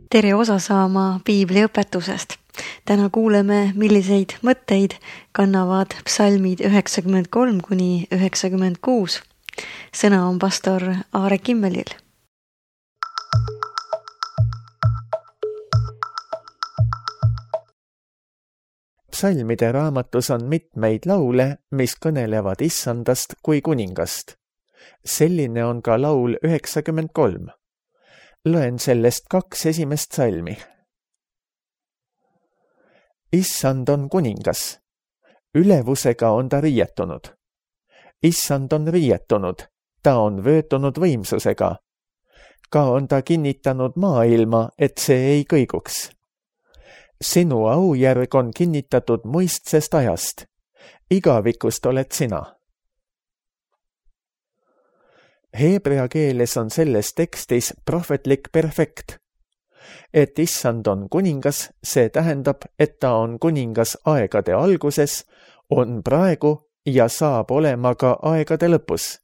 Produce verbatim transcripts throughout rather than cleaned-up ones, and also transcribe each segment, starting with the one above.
tere osa saama piibliõpetusest. Täna kuuleme, milliseid mõtteid kannavad psalmid üheksakümmend kolm kuni üheksakümmend kuus. Sõna on pastor Aare Kimmelil. Psalmide raamatus on mitmeid laule, mis kõnelevad Issandast kui kuningast. Selline on ka laul üheksakümmend kolm. Loen sellest kaks esimest salmi. Issand on kuningas. Ülevusega on ta riietunud. Issand on riietunud. Ta on vöötunud võimsusega. Ka on ta kinnitanud maailma, et see ei kõiguks. Sinu aujärg on kinnitatud muistsest ajast. Igavikust oled sina. Heebrea keeles on selles tekstis prohvetlik perfekt. Et Issand on kuningas, see tähendab, et ta on kuningas aegade alguses, on praegu ja saab olema ka aegade lõpus.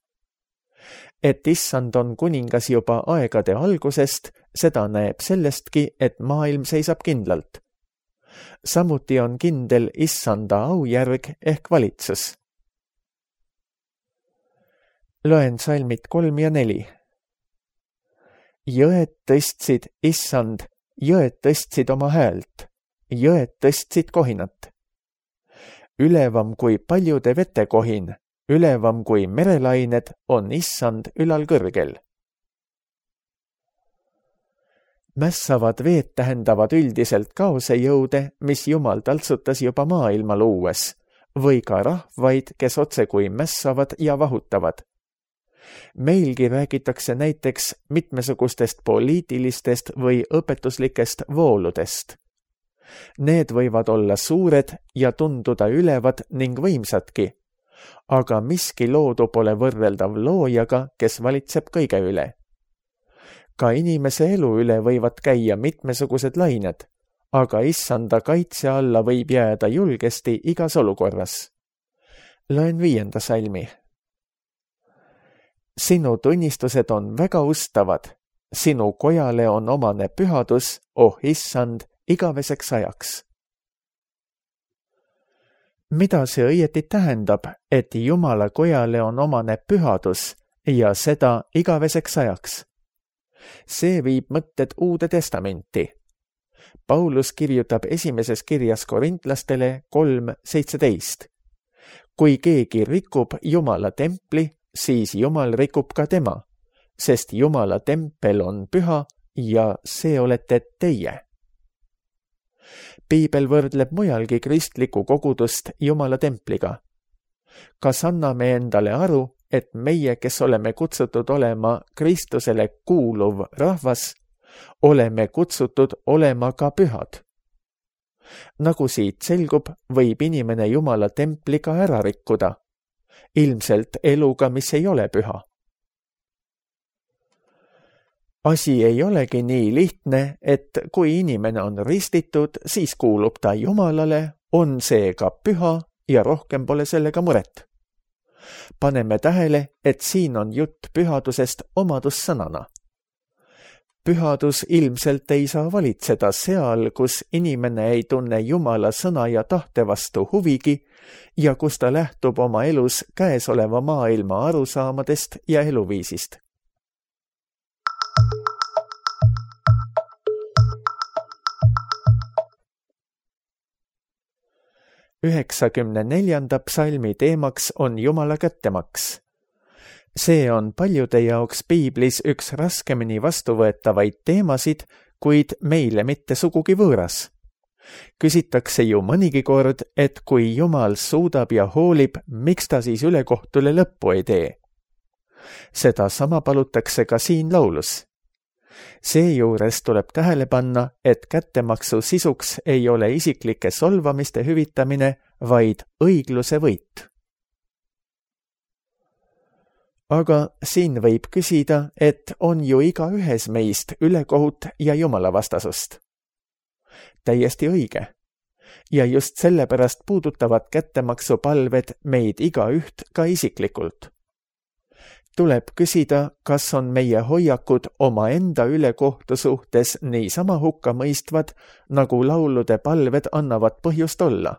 Et Issand on kuningas juba aegade algusest, seda näeb sellestki, et maailm seisab kindlalt. Samuti on kindel Issanda aujärg ehk valitsus. Loen salmid kolm ja neli. Jõed tõstsid, Issand, jõed tõstsid oma häält, jõed tõstsid kohinat. Ülevam kui paljude vete kohin, ülevam kui merelained on Issand ülal kõrgel. Mässavad veed tähendavad üldiselt kaosejõude, mis Jumal taltsutas juba maailma luues, või ka rahvaid, kes otse kui mässavad ja vahutavad. Meilgi räägitakse näiteks mitmesugustest poliitilistest või õpetuslikest vooludest. Need võivad olla suured ja tunduda ülevad ning võimsadki, aga miski loodu pole võrreldav loojaga, kes valitseb kõige üle. Ka inimese elu üle võivad käia mitmesugused lained, aga Issanda kaitse alla võib jääda julgesti igas olukorras. Loen viienda salmi. Sinu tunnistused on väga ustavad, sinu kojale on omane pühadus, oh Issand, igaveseks ajaks. Mida see õieti tähendab, et Jumala kojale on omane pühadus ja seda igaveseks ajaks? See viib mõtted Uude Testamenti. Paulus kirjutab esimeses kirjas korintlastele kolm seitseteist. Kui keegi rikub Jumala templi, siis Jumal rikub ka tema, sest Jumala tempel on püha ja see olete teie. Piibel võrdleb mujalgi kristlikku kogudust Jumala templiga. Kas anname endale aru, et meie, kes oleme kutsutud olema Kristusele kuuluv rahvas, oleme kutsutud olema ka pühad? Nagu siit selgub, võib inimene Jumala templiga ära rikkuda, ilmselt eluga, mis ei ole püha. Asi ei olegi nii lihtne, et kui inimene on ristitud, siis kuulub ta Jumalale, on seega püha ja rohkem pole sellega muret. Paneme tähele, et siin on jutt pühadusest omadussõnana. Pühadus ilmselt ei saa valitseda seal, kus inimene ei tunne Jumala sõna ja tahte vastu huvigi ja kus ta lähtub oma elus käesoleva maailma arusaamadest ja eluviisist. üheksakümne neljanda psalmi teemaks on Jumala kättemaks. See on paljude jaoks piiblis üks raskemini vastuvõetavaid teemasid, kuid meile mitte sugugi võõras. Küsitakse ju mõnigi kord, et kui Jumal suudab ja hoolib, miks ta siis ülekohtule lõppu ei tee? Seda sama palutakse ka siin laulus. Seejuures tuleb tähele panna, et kättemaksu sisuks ei ole isiklike solvamiste hüvitamine, vaid õigluse võit. Aga siin võib küsida, et on ju igaühes meist ülekohut ja jumalavastasust. Täiesti õige. Ja just sellepärast puudutavad kättemaksupalved meid igaüht ka isiklikult. tuleb küsida, kas on meie hoiakud omaenda ülekohtu suhtes niisama hukkamõistvad, nagu laulude palved annavad põhjust olla.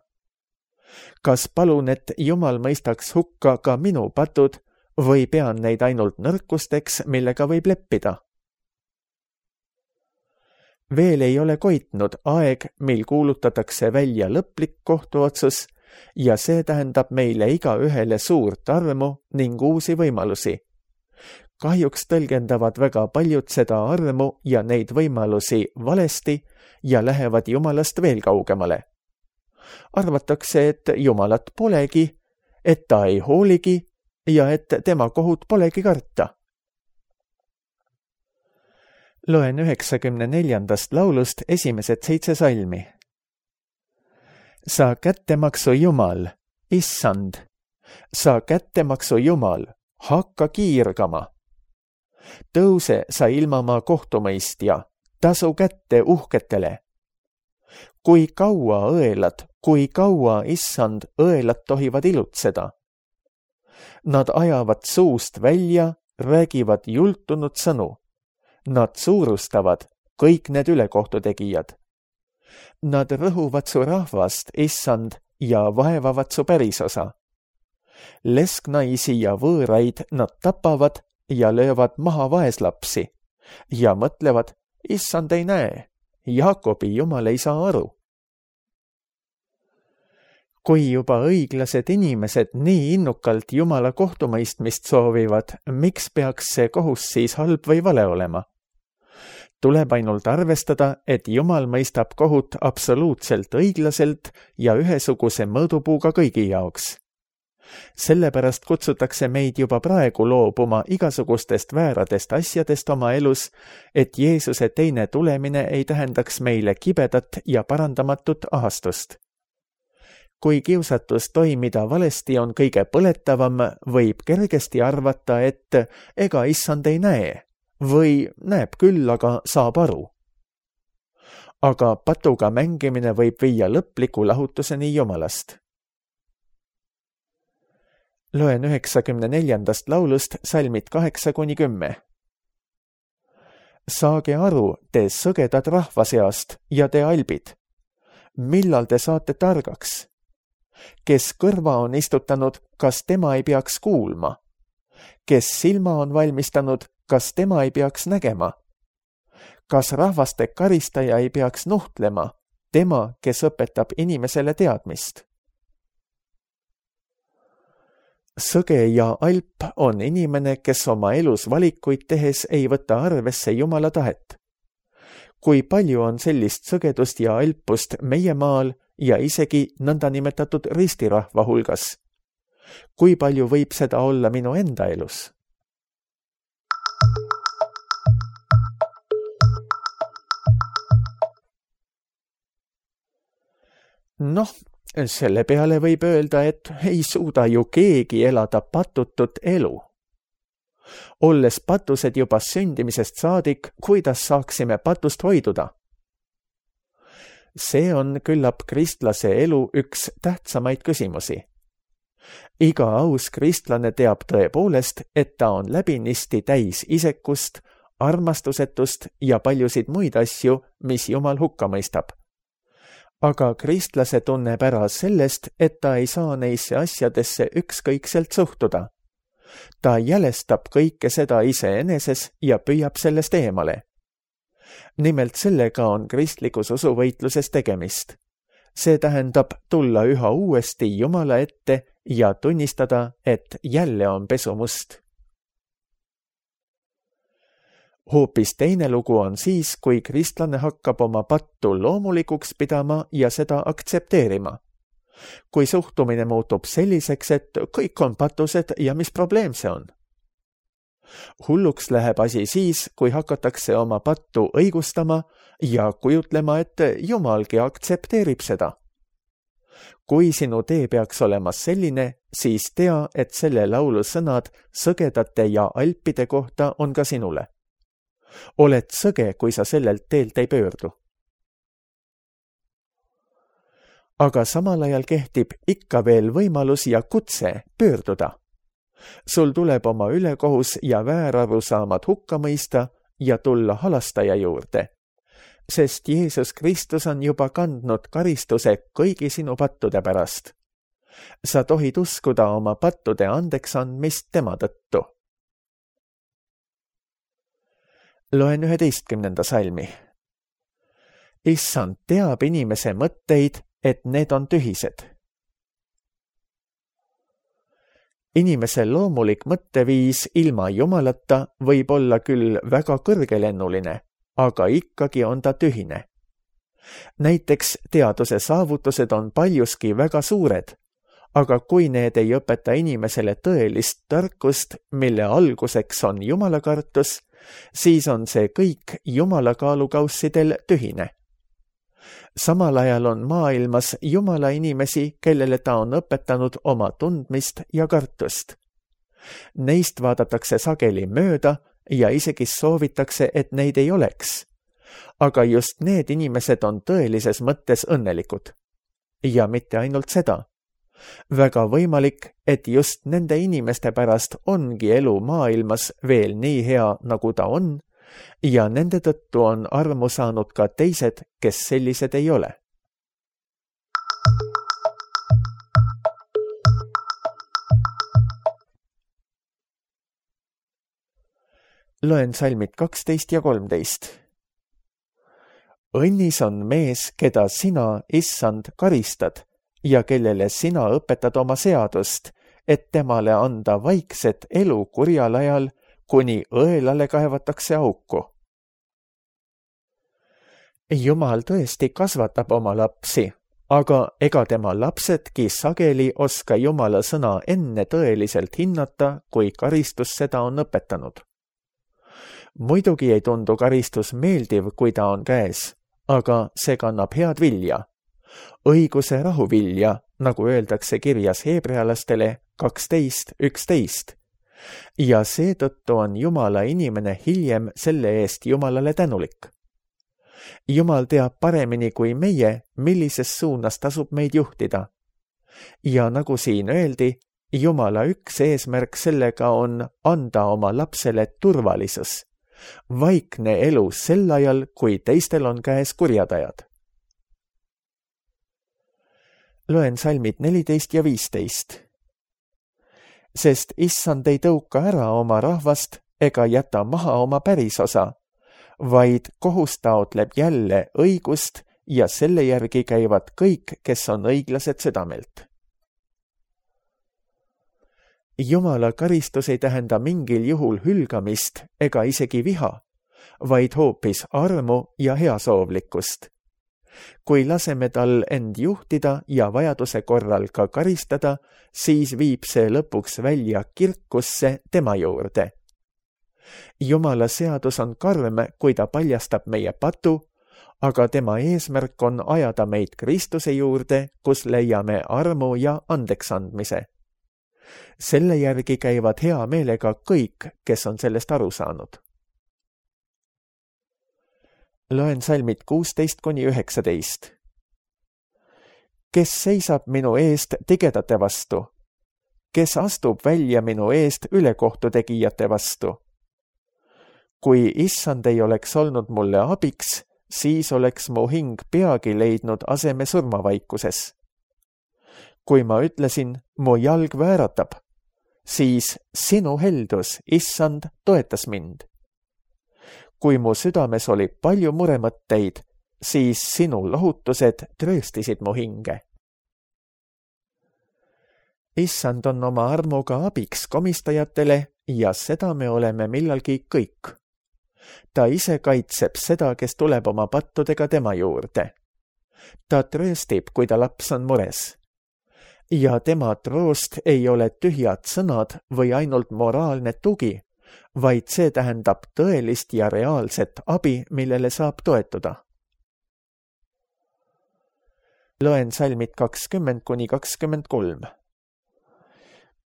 Kas palun, et Jumal mõistaks hukka ka minu patud või pean neid ainult nõrkusteks, millega võib leppida? Veel ei ole koitnud aeg, mil kuulutatakse välja lõplik kohtuotsus ja see tähendab meile igaühele suurt armu ning uusi võimalusi. Kahjuks tõlgendavad väga paljud seda armu ja neid võimalusi valesti ja lähevad Jumalast veel kaugemale. Arvatakse, et Jumalat polegi, et ta ei hooligi ja et tema kohut polegi karta. Loen üheksakümne neljandast laulust esimesed seitse salmi. Sa kättemaksu Jumal, issand, sa kättemaksu Jumal, hakka kiirgama. Tõuse sa ilmamaa kohtumõistja, tasu kätte uhketele. Kui kaua õelad, kui kaua, issand, õelad tohivad ilutseda. Nad ajavad suust välja, räägivad jultunud sõnu. Nad suurustavad kõik need ülekohtutegijad. Nad rõhuvad su rahvast, issand, ja vaevavad su pärisosa. Lesknaisi ja võõraid nad tapavad ja löövad maha vaeslapsi ja mõtlevad, issand ei näe, Jaakobi Jumal ei saa aru. Kui juba õiglased inimesed nii innukalt Jumala kohtumõistmist soovivad, miks peaks see kohus siis halb või vale olema? Tuleb ainult arvestada, et Jumal mõistab kohut absoluutselt õiglaselt ja ühesuguse mõõdupuuga kõigi jaoks. Sellepärast kutsutakse meid juba praegu loobuma igasugustest vääradest asjadest oma elus, et Jeesuse teine tulemine ei tähendaks meile kibedat ja parandamatut ahastust. Kui kiusatus toimida valesti on kõige põletavam, võib kergesti arvata, et ega issand ei näe või näeb küll, aga saab aru. Aga patuga mängimine võib viia lõpliku lahutuseni Jumalast. Loen üheksakümne neljandast laulust salmid kaheksa kuni kümme. Saage aru, te sõgedad rahva seast ja te albid. Millal te saate targaks? Kes kõrva on istutanud, kas tema ei peaks kuulma? Kes silma on valmistanud, kas tema ei peaks nägema? Kas rahvaste karistaja ei peaks nuhtlema, tema, kes õpetab inimesele teadmist? Sõge ja alp on inimene, kes oma elus valikuid tehes ei võta arvesse Jumala tahet. Kui palju on sellist sõgedust ja alpust meie maal ja isegi nõndanimetatud ristirahva hulgas? Kui palju võib seda olla minu enda elus? Noh, selle peale võib öelda, et ei suuda ju keegi elada patutut elu. Olles patused juba sündimisest saadik, kuidas saaksime patust hoiduda? See on küllap kristlase elu üks tähtsamaid küsimusi. Iga aus kristlane teab tõepoolest, et ta on läbinisti täis isekust, armastusetust ja paljusid muid asju, mis Jumal hukka mõistab. Aga kristlase tunneb ära sellest, et ta ei saa neisse asjadesse ükskõikselt suhtuda. Ta jälestab kõike seda iseeneses ja püüab sellest eemale. Nimelt sellega on kristlikus usuvõitluses tegemist. See tähendab tulla üha uuesti Jumala ette ja tunnistada, et jälle on pesumust. Hoopis teine lugu on siis, kui kristlane hakkab oma pattu loomulikuks pidama ja seda aktsepteerima. Kui suhtumine muutub selliseks, et kõik on patused ja mis probleem see on? Hulluks läheb asi siis, kui hakatakse oma pattu õigustama ja kujutlema, et Jumalgi aktsepteerib seda. Kui sinu tee peaks olema selline, siis tea, et selle laulu sõnad sõgedate ja alpide kohta on ka sinule. Oled sõge, kui sa sellelt teelt ei pöördu. Aga samal ajal kehtib ikka veel võimalus ja kutse pöörduda. sul tuleb oma ülekohus ja väärarusaamad hukka mõista ja tulla halastaja juurde, sest Jeesus Kristus on juba kandnud karistuse kõigi sinu pattude pärast. Sa tohid uskuda oma pattude andeks andmist tema tõttu. Loen üheteistkümnenda salmi. Issand teab inimese mõtteid, et need on tühised. Inimese loomulik mõtteviis ilma Jumalata võib olla küll väga kõrgelennuline, aga ikkagi on ta tühine. Näiteks teaduse saavutused on paljuski väga suured, aga kui need ei õpeta inimesele tõelist tarkust, mille alguseks on jumalakartus, siis on see kõik jumala kaalukaussidel tühine. Samal ajal on maailmas jumala inimesi, kellele ta on õpetanud oma tundmist ja kartust. Neist vaadatakse sageli mööda ja isegi soovitakse, et neid ei oleks. Aga just need inimesed on tõelises mõttes õnnelikud. Ja mitte ainult seda. Väga võimalik, et just nende inimeste pärast ongi elu maailmas veel nii hea, nagu ta on, ja nende tõttu on armu saanud ka teised, kes sellised ei ole. Loen salmid kaksteist ja kolmteist. Õnnis on mees, keda sina, issand, karistad ja kellele sina õpetad oma seadust, et temale anda vaikset elu kurjal ajal, kuni õelale kaevatakse auku. Jumal tõesti kasvatab oma lapsi, aga ega tema lapsedki sageli oska Jumala sõna enne tõeliselt hinnata, kui karistus seda on õpetanud. Muidugi ei tundu karistus meeldiv, kui ta on käes, aga see kannab head vilja. Õiguse rahuvilja, nagu öeldakse kirjas heebrealastele kaksteist üksteist. Ja seetõttu on Jumala inimene hiljem selle eest Jumalale tänulik. Jumal teab paremini kui meie, millises suunas tasub meid juhtida. Ja nagu siin öeldi, Jumala üks eesmärk sellega on anda oma lapsele turvalisus, vaikne elu sel ajal, kui teistel on käes kurjad ajad. Loen salmid neliteist ja viisteist. Sest issand ei tõuka ära oma rahvast ega jäta maha oma pärisosa, vaid kohus taotleb jälle õigust ja selle järgi käivad kõik, kes on õiglased südamelt. Jumala karistus ei tähenda mingil juhul hülgamist ega isegi viha, vaid hoopis armu ja heasoovlikkust. Kui laseme tal end juhtida ja vajaduse korral ka karistada, siis viib see lõpuks välja kirkusse tema juurde. Jumala seadus on karm, kui ta paljastab meie patu, aga tema eesmärk on ajada meid Kristuse juurde, kus leiame armu ja andeksandmise. Selle järgi käivad hea meelega kõik, kes on sellest aru saanud. Loen salmid kuusteist kuni üheksateist. Kes seisab minu eest tigedate vastu? Kes astub välja minu eest ülekohtu tegijate vastu? Kui issand ei oleks olnud mulle abiks, siis oleks mu hing peagi leidnud aseme surmavaikuses. Kui ma ütlesin, mu jalg vääratab, siis sinu heldus, issand, toetas mind. Kui mu südames oli palju muremõtteid, siis sinu lohutused trööstisid mu hinge. Issand on oma armuga abiks komistajatele ja seda me oleme millalgi kõik. Ta ise kaitseb seda, kes tuleb oma pattudega tema juurde. Ta trööstib, kui ta laps on mures. Ja tema troost ei ole tühjad sõnad või ainult moraalne tugi, vaid see tähendab tõelist ja reaalset abi, millele saab toetuda. Loen salmid kakskümmend kuni kakskümmend kolm.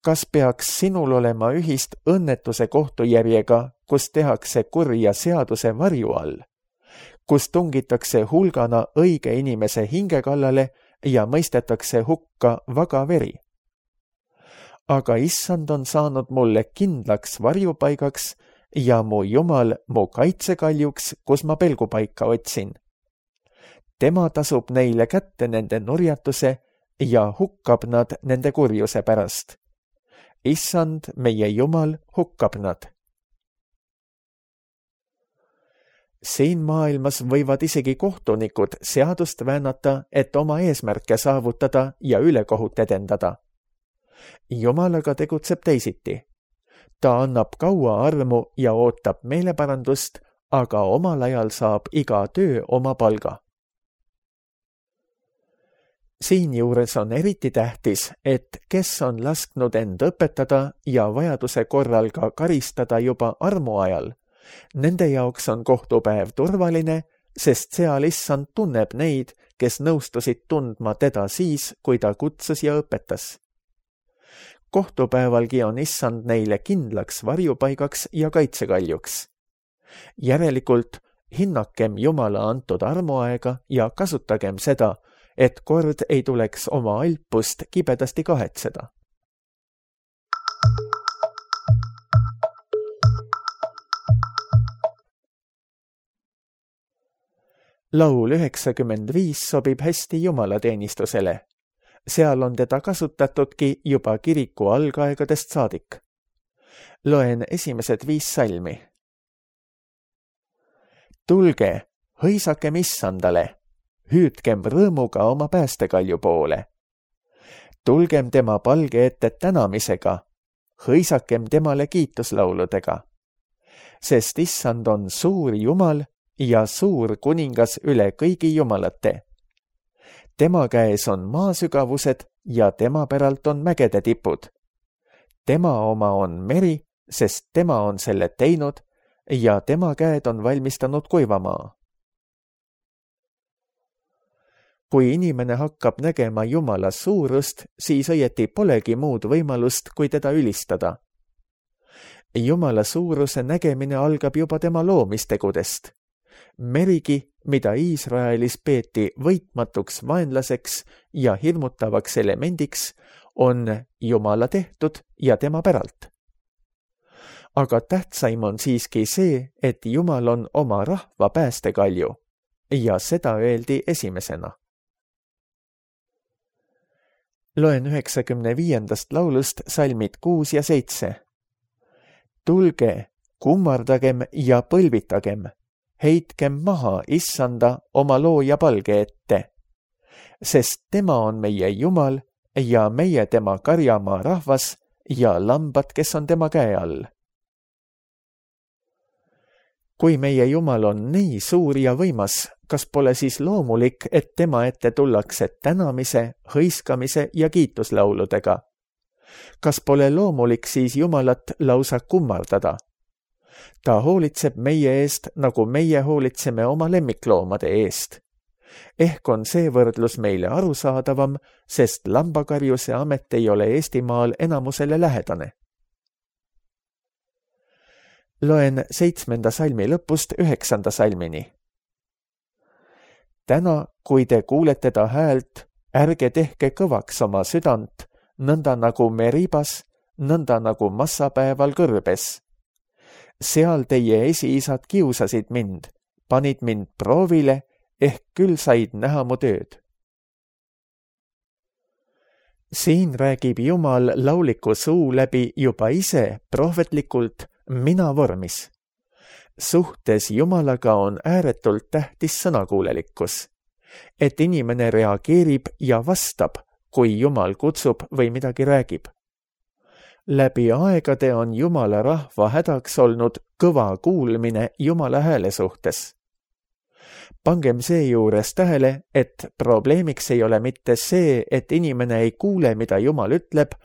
Kas peaks sinul olema ühist õnnetuse kohtujärjega, kus tehakse kurja seaduse varju all, kus tungitakse hulgana õige inimese hinge kallale ja mõistetakse hukka vaga veri? aga issand on saanud mulle kindlaks varjupaigaks ja mu Jumal mu kaitsekaljuks, kus ma pelgupaika otsin. Tema tasub neile kätte nende nurjatuse ja hukkab nad nende kurjuse pärast. Issand, meie Jumal, hukkab nad. Siin maailmas võivad isegi kohtunikud seadust väänata, et oma eesmärke saavutada ja ülekohut edendada. Jumal aga tegutseb teisiti. Ta annab kaua armu ja ootab meeleparandust, aga omal ajal saab iga töö oma palga. Siinjuures on eriti tähtis, et kes on lasknud end õpetada ja vajaduse korral ka karistada juba armu ajal, nende jaoks on kohtupäev turvaline, sest seal issand tunneb neid, kes nõustusid tundma teda siis, kui ta kutsus ja õpetas. Kohtupäevalgi on issand neile kindlaks varjupaigaks ja kaitsekaljuks. Järelikult hinnakem Jumala antud armuaega ja kasutagem seda, et kord ei tuleks oma alpust kibedasti kahetseda. Laul üheksakümmend viis sobib hästi jumalateenistusele. Seal on teda kasutatudki juba kiriku algaegadest saadik. Loen esimesed viis salmi. Tulge, hõisakem issandale, hüüdkem rõõmuga oma päästekalju poole. Tulgem tema palge ette tänamisega, hõisakem temale kiituslauludega. Sest issand on suur Jumal ja suur kuningas üle kõigi jumalate. Tema käes on maasügavused ja tema päralt on mägede tipud. Tema oma on meri, sest tema on selle teinud ja tema käed on valmistanud kuivamaa. Kui inimene hakkab nägema Jumala suurust, siis õieti polegi muud võimalust, kui teda ülistada. Jumala suuruse nägemine algab juba tema loomistegudest. Merigi, mida Iisraelis peeti võitmatuks vaenlaseks ja hirmutavaks elemendiks, on Jumala tehtud ja tema päralt. Aga tähtsaim on siiski see, et Jumal on oma rahva päästekalju ja seda öeldi esimesena. Loen üheksakümne viiendast laulust salmid kuus ja seitse. Tulge, kummardagem ja põlvitagem, heitkem maha issanda oma looja palge ette, sest tema on meie Jumal ja meie tema karjamaa rahvas ja lambad, kes on tema käe all. Kui meie Jumal on nii suur ja võimas, kas pole siis loomulik, et tema ette tullakse tänamise, hõiskamise ja kiituslauludega? Kas pole loomulik siis Jumalat lausa kummardada? Ta hoolitseb meie eest, nagu meie hoolitseme oma lemmikloomade eest. Ehk on see võrdlus meile arusaadavam, sest lambakarjuse amet ei ole Eestimaal enamusele lähedane. Loen seitsmenda salmi lõpust üheksanda salmini. Täna, kui te kuulete ta häält, ärge tehke kõvaks oma südant, nõnda nagu Meribas, nõnda nagu massapäeval kõrbes. Seal teie esiisad kiusasid mind, panid mind proovile, ehk küll said näha mu tööd. Siin räägib Jumal lauliku suu läbi juba ise prohvetlikult mina vormis. Suhtes Jumalaga on ääretult tähtis sõnakuulelikkus, et inimene reageerib ja vastab, kui Jumal kutsub või midagi räägib. Läbi aegade on Jumala rahva hädaks olnud kõva kuulmine Jumala hääle suhtes. Pangem seejuures tähele, et probleemiks ei ole mitte see, et inimene ei kuule, mida Jumal ütleb,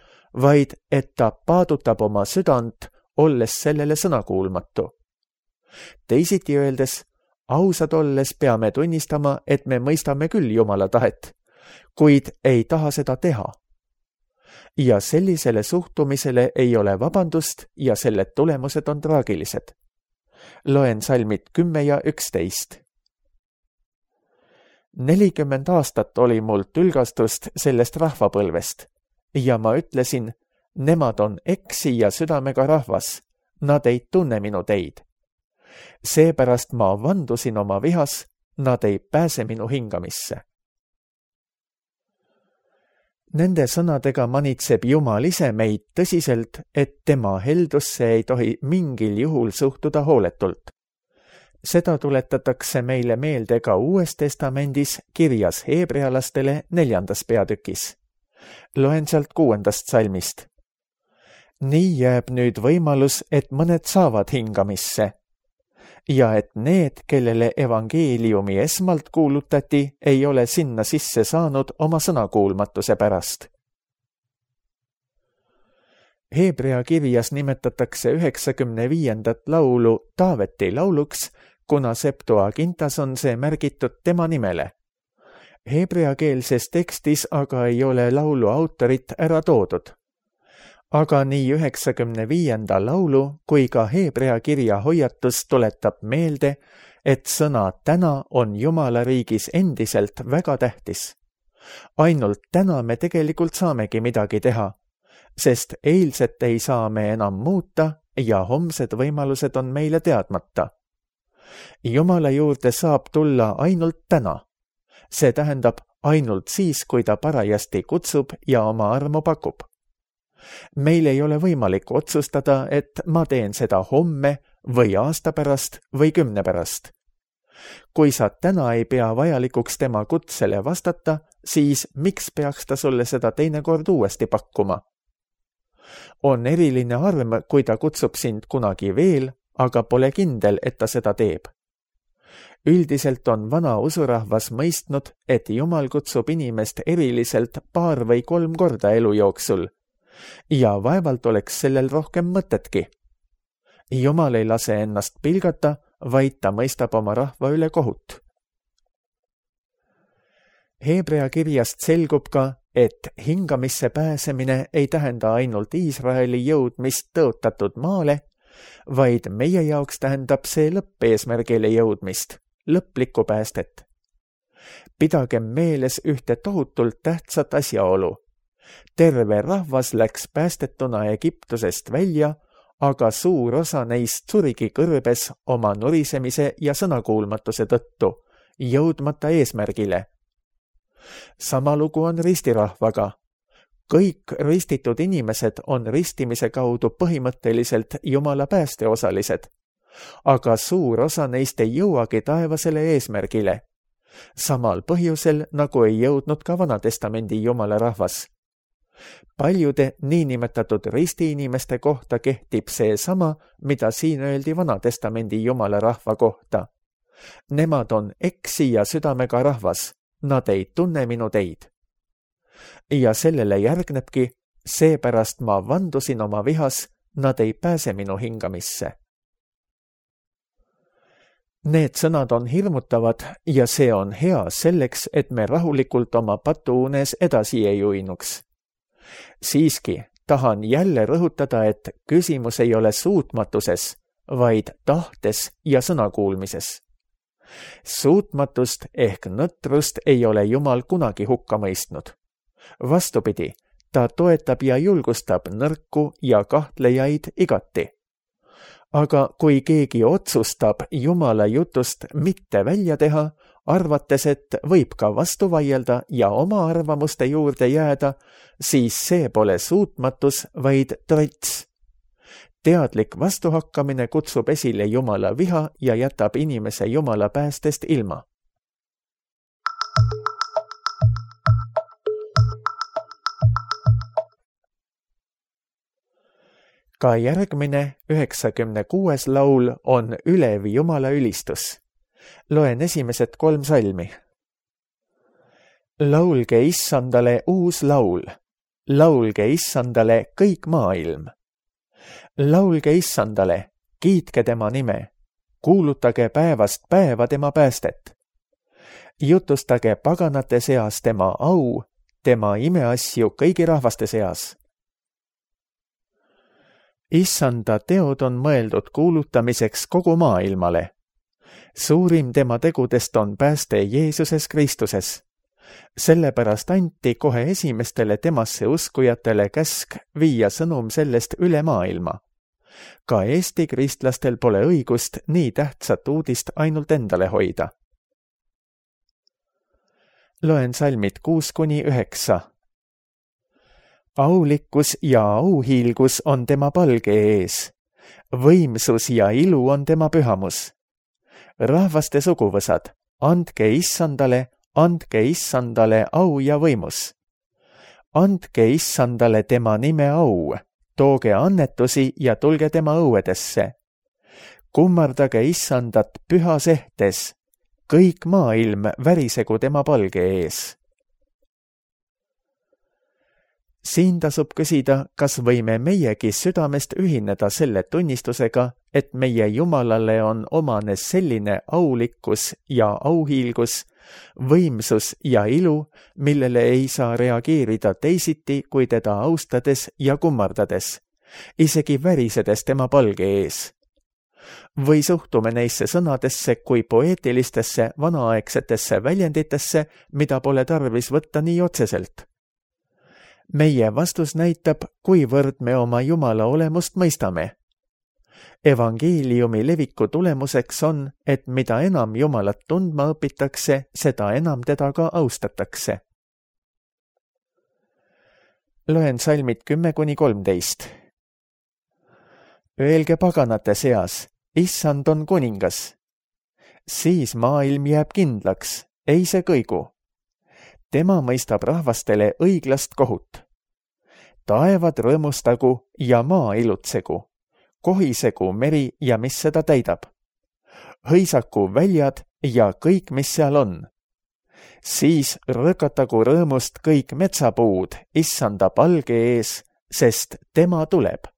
vaid et ta paadutab oma südant, olles sellele sõnakuulmatu. Teisiti öeldes, ausad olles peame tunnistama, et me mõistame küll Jumala tahet, kuid ei taha seda teha. Ja sellisele suhtumisele ei ole vabandust ja selle tulemused on traagilised. Loen salmid kümme ja üksteist. Nelikümmend aastat oli mul tülgastust sellest rahvapõlvest ja ma ütlesin, nemad on eksi ja südamega rahvas, nad ei tunne minu teid. Seepärast ma vandusin oma vihas, nad ei pääse minu hingamisse. Nende sõnadega manitseb Jumal ise meid tõsiselt, et tema heldusse ei tohi mingil juhul suhtuda hooletult. Seda tuletatakse meile meelde ka Uues Testamendis kirjas heebrealastele neljandas peatükis. Loen sealt kuuendast salmist. Nii jääb nüüd võimalus, et mõned saavad hingamisse ja et need, kellele evangeeliumi esmalt kuulutati, ei ole sinna sisse saanud oma sõnakuulmatuse pärast. Heebrea kirjas nimetatakse üheksakümne viiendat laulu Taaveti lauluks, kuna Septuagintas on see märgitud tema nimele. Heebreakeelses tekstis aga ei ole laulu autorit ära toodud. Aga nii üheksakümne viienda laulu kui ka Heebrea kirja hoiatus tuletab meelde, et sõna täna on Jumala riigis endiselt väga tähtis. Ainult täna me tegelikult saamegi midagi teha, sest eilset ei saa me enam muuta ja homsed võimalused on meile teadmata. Jumala juurde saab tulla ainult täna. See tähendab ainult siis, kui ta parajasti kutsub ja oma armu pakub. Meil ei ole võimalik otsustada, et ma teen seda homme või aasta pärast või kümne pärast. Kui sa täna ei pea vajalikuks tema kutsele vastata, siis miks peaks ta sulle seda teinekord uuesti pakkuma? On eriline arm, kui ta kutsub sind kunagi veel, aga pole kindel, et ta seda teeb. Üldiselt on vana usurahvas mõistnud, et Jumal kutsub inimest eriliselt paar või kolm korda elu jooksul. Ja vaevalt oleks sellel rohkem mõtetki. Jumal ei lase ennast pilgata, vaid ta mõistab oma rahva üle kohut. Heebrea kirjast selgub ka, et hingamisse pääsemine ei tähenda ainult Iisraeli jõudmist tõotatud maale, vaid meie jaoks tähendab see lõppeesmärgile jõudmist, lõplikku päästet. Pidagem meeles ühte tohutult tähtsat asjaolu. Terve rahvas läks päästetuna Egiptusest välja, aga suur osa neist surigi kõrbes oma nurisemise ja sõnakuulmatuse tõttu, jõudmata eesmärgile. Sama lugu on ristirahvaga. Kõik ristitud inimesed on ristimise kaudu põhimõtteliselt Jumala päästeosalised, aga suur osa neist ei jõuagi taevasele eesmärgile. Samal põhjusel, nagu ei jõudnud ka Vanatestamendi Jumala rahvas. Paljude niinimetatud ristiinimeste kohta kehtib see sama, mida siin öeldi Vanatestamendi Jumala rahva kohta. Nemad on eksi ja südamega rahvas, nad ei tunne minu teid. Ja sellele järgnebki, seepärast ma vandusin oma vihas, nad ei pääse minu hingamisse. Need sõnad on hirmutavad ja see on hea selleks, et me rahulikult oma patuunes edasi ei uinuks. Siiski tahan jälle rõhutada, et küsimus ei ole suutmatuses, vaid tahtes ja sõnakuulmises. Suutmatust ehk nõtrust ei ole Jumal kunagi hukka mõistnud. Vastupidi, ta toetab ja julgustab nõrku ja kahtlejaid igati. Aga kui keegi otsustab Jumala jutust mitte välja teha, arvates, et võib ka vastu vaielda ja oma arvamuste juurde jääda, siis see pole suutmatus, vaid trots. Teadlik vastuhakkamine kutsub esile Jumala viha ja jätab inimese Jumala päästest ilma. Ka järgmine üheksakümne kuues laul on ülevi Jumala ülistus. Loen esimesed kolm salmi. Laulge Issandale uus laul. Laulge Issandale kõik maailm. Laulge Issandale, kiitke tema nime. Kuulutage päevast päeva tema päästet. Jutustage paganate seas tema au, tema imeasju kõigi rahvaste seas. Issanda teod on mõeldud kuulutamiseks kogu maailmale. Suurim tema tegudest on pääste Jeesuses Kristuses. Sellepärast anti kohe esimestele temasse uskujatele käsk viia sõnum sellest üle maailma. Ka Eesti kristlastel pole õigust nii tähtsat uudist ainult endale hoida. Loen salmid kuus kuni üheksa. Aulikkus ja auhiilgus on tema palge ees. Võimsus ja ilu on tema pühamus. Rahvaste suguvõsad, andke issandale, andke issandale au ja võimus. Andke issandale tema nime au, tooge annetusi ja tulge tema õuedesse. Kummardage issandat pühas ehtes, kõik maailm värisegu tema palge ees. Siin tasub küsida, kas võime meiegi südamest ühineda selle tunnistusega, et meie Jumalale on omane selline aulikkus ja auhiilgus, võimsus ja ilu, millele ei saa reageerida teisiti kui teda austades ja kummardades, isegi värisedes tema palge ees. Või suhtume neisse sõnadesse kui poeetilistesse vanaaegsetesse väljenditesse, mida pole tarvis võtta nii otseselt. Meie vastus näitab, kuivõrd me oma Jumala olemust mõistame. Evangeeliumi leviku tulemuseks on, et mida enam Jumalat tundma õpitakse, seda enam teda ka austatakse. Loen salmid kümme kuni kolmteist. Öelge paganate seas, issand on kuningas. Siis maailm jääb kindlaks, ei see kõigu. Tema mõistab rahvastele õiglast kohut. Taevad rõõmustagu ja maa ilutsegu, kohisegu meri ja mis seda täidab. Hõisaku väljad ja kõik, mis seal on. Siis rõkatagu rõõmust kõik metsapuud issanda palge ees, sest tema tuleb.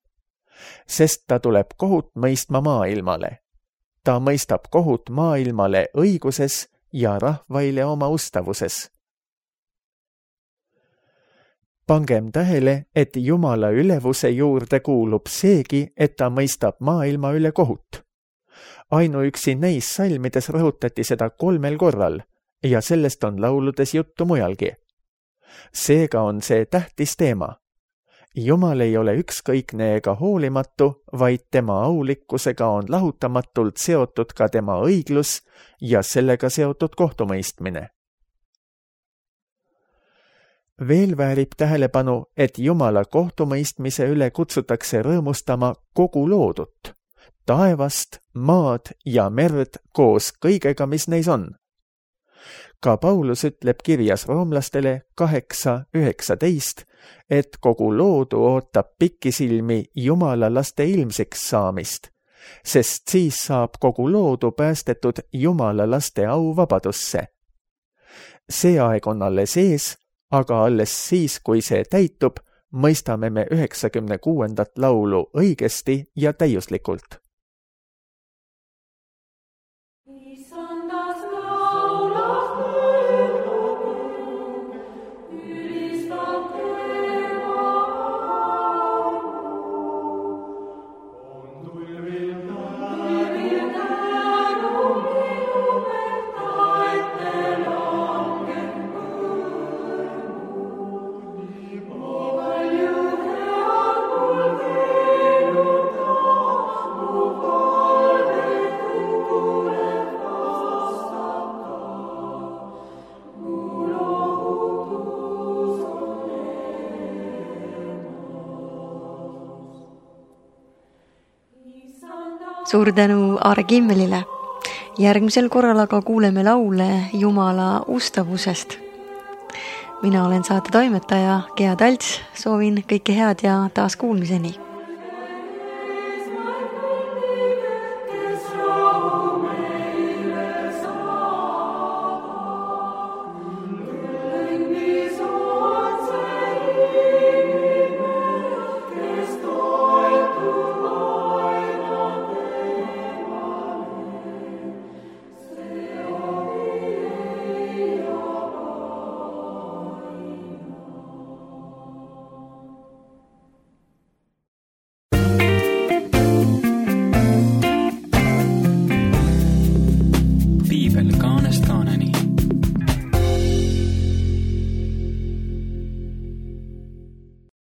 Sest ta tuleb kohut mõistma maailmale. Ta mõistab kohut maailmale õiguses ja rahvaile oma ustavuses. Pangem tähele, et Jumala ülevuse juurde kuulub seegi, et ta mõistab maailma üle kohut. Ainuüksi neis salmides rõhutati seda kolmel korral ja sellest on lauludes juttu mujalgi. Seega on see tähtis teema. Jumal ei ole ükskõikne ega hoolimatu, vaid tema aulikkusega on lahutamatult seotud ka tema õiglus ja sellega seotud kohtumõistmine. Veel väärib tähelepanu, et Jumala kohtumõistmise üle kutsutakse rõõmustama kogu loodut, taevast, maad ja merd koos kõigega, mis neis on. Ka Paulus ütleb kirjas roomlastele kaheksa üheksateist, et kogu loodu ootab pikisilmi Jumala laste ilmsiks saamist, sest siis saab kogu loodu päästetud Jumala laste au vabadusse. See aeg on alles ees, aga alles siis, kui see täitub, mõistame me üheksakümne kuuendat laulu õigesti ja täiuslikult. Suur tänu Aare Kimmelile. Järgmisel korral aga kuuleme laule Jumala ustavusest. Mina olen saate toimetaja Gea Talts, soovin kõike head ja taas kuulmiseni.